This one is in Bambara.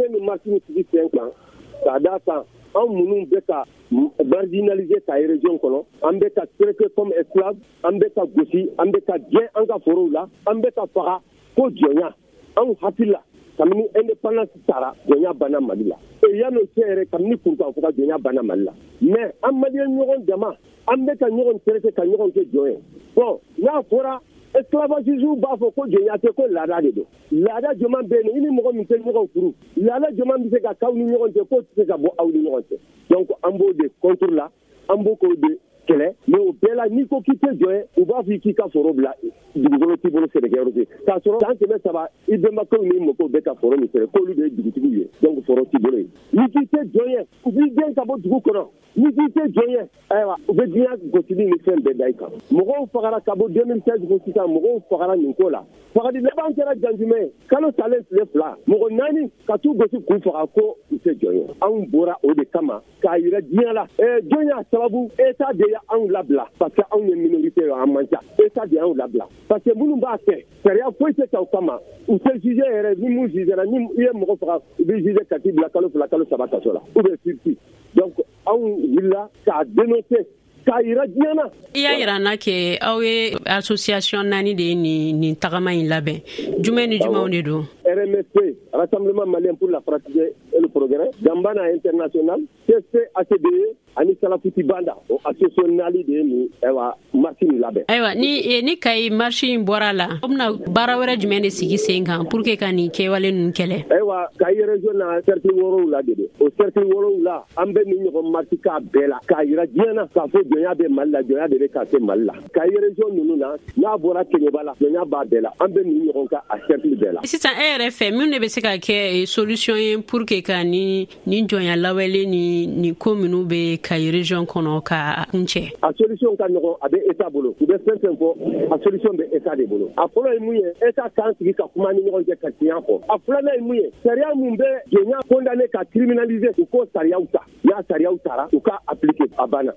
An ye nin marche sigi sen kan k'a d'a kan anw minnu bɛ ka marginaliser Kayi région kɔnɔ, an bɛ ka traiter comme esclave an bɛ ka gosi, an bɛ ka gɛn an ka forow la, an bɛ ka faga ko jɔnya. Anw hakili la, kabini indépendance tara, jɔnya banna Mali la. Et yan'o cɛ yɛrɛ, kabini kurukanfuga, jɔnya banna Mali la. Mais an malien ɲɔgɔn dama, an bɛ ka ɲɔgɔn traiter ka ɲɔgɔn kɛ jɔn ye. Bon, n'a fɔra esclavagistes b'a fɔ ko jɔnya tɛ, ko laada de don. Laada jumɛn bɛ yen i ni mɔgɔ min tɛ ɲɔgɔn furu? Laada jumɛn bɛ se ka k'aw ni ɲɔgɔn cɛ k'o tɛ se ka bɔ aw ni ɲɔgɔn cɛ? Donc an b'o de contre la, an b'o k'o de kɛlɛ. Mais o bɛɛ la, n'i ko k'i tɛ jɔn ye, u b'a fɔ k'i ka foro bila, dugukolo t'i bolo, sɛnɛkɛyɔrɔ tɛ, k'a sɔrɔ san 300 i bɛnbakɛw ni mɔkɛw bɛ ka foro min sɛnɛ, k'olu de ye dugutigiw ye, donc foro t'i bolo yen. N'i k'i tɛ jɔn ye, u b'i gɛn ka bɔ dugu kɔnɔ. N'i k'i tɛ jɔn ye, ayiwa, u bɛ diɲɛ gosili ni fɛn bɛɛ da i kan. Mɔgɔw fagara ka bɔ 2016 fo sisan, mɔgɔw fagara nin ko la. Fagali laban kɛra Janjumɛ, kalo salen tile 2, mɔgɔ 4 ka t'u gosi k'u faga ko u tɛ jɔn ye. Anw bɔra o de kama k'a yira diɲɛ la. Jɔn y'a sababu? État de y'anw labila, parce que anw ye minorité ye, an man ca. État de y'anw labila, parce que minnu b'a kɛ, sariya foyi tɛ ta u kama, u tɛ juger yɛrɛ. Ni mun jugera, ni i ye mɔgɔ faga, u bɛ juger ka t'i bila kalo 2, kalo 3 kaso la, ou bien sursis. Donc anw wulila k'a dénoncer, k'a yira diɲɛ na. I y'a yira n na ke aw ye association 4 de ye nin tagama in labɛn. Jumɛn ni jumɛnw de don? RMSP, Rassemblement malien pour la fraternité et le progrès, Gambana International, CC ACDE ani Salafuti Banda, o association 4 de ye nin, ayiwa, marche nin labɛn. Ayiwa, ni Kayi marche in bɔra la, aw bɛna baara wɛrɛ jumɛn de sigi sen kan pour que ka nin kɛwale ninnu kɛlɛ? Ayiwa, Kayi région na, cercle 7 de don. O cercle 7, an bɛ nin ɲɔgɔn marche k'a bɛɛ la k'a yira diɲɛ na k'a fɔ jɔnya bɛ Mali la, jɔnya de bɛ ka kɛ Mali la. Kayi région ninnu na, n'a bɔra Keɲeba la, jɔnya b'a bɛɛ la. An bɛ nin ɲɔgɔn kan a cercle bɛɛ la. Sisan, e yɛrɛ fɛ, mun de bɛ se ka kɛ solution ye pour que ka ni jɔnya lawale ni nin ko minnu bɛ Kayi région kɔnɔ ka kuncɛ? A solution ka nɔgɔn, a bɛ État bolo. U bɛ fɛn fɛn fɔ, a solution bɛ État de bolo. A fɔlɔ ye mun ye? État k'an sigi ka kuma ni ɲɔgɔn cɛ ka tiɲɛ fɔ. A filanan ye mun ye? Sariya mun bɛ jɔnya condamné ka criminaliser, u k'o sariyaw ta. N'a sariyaw tara, u ka appliquer, a banna.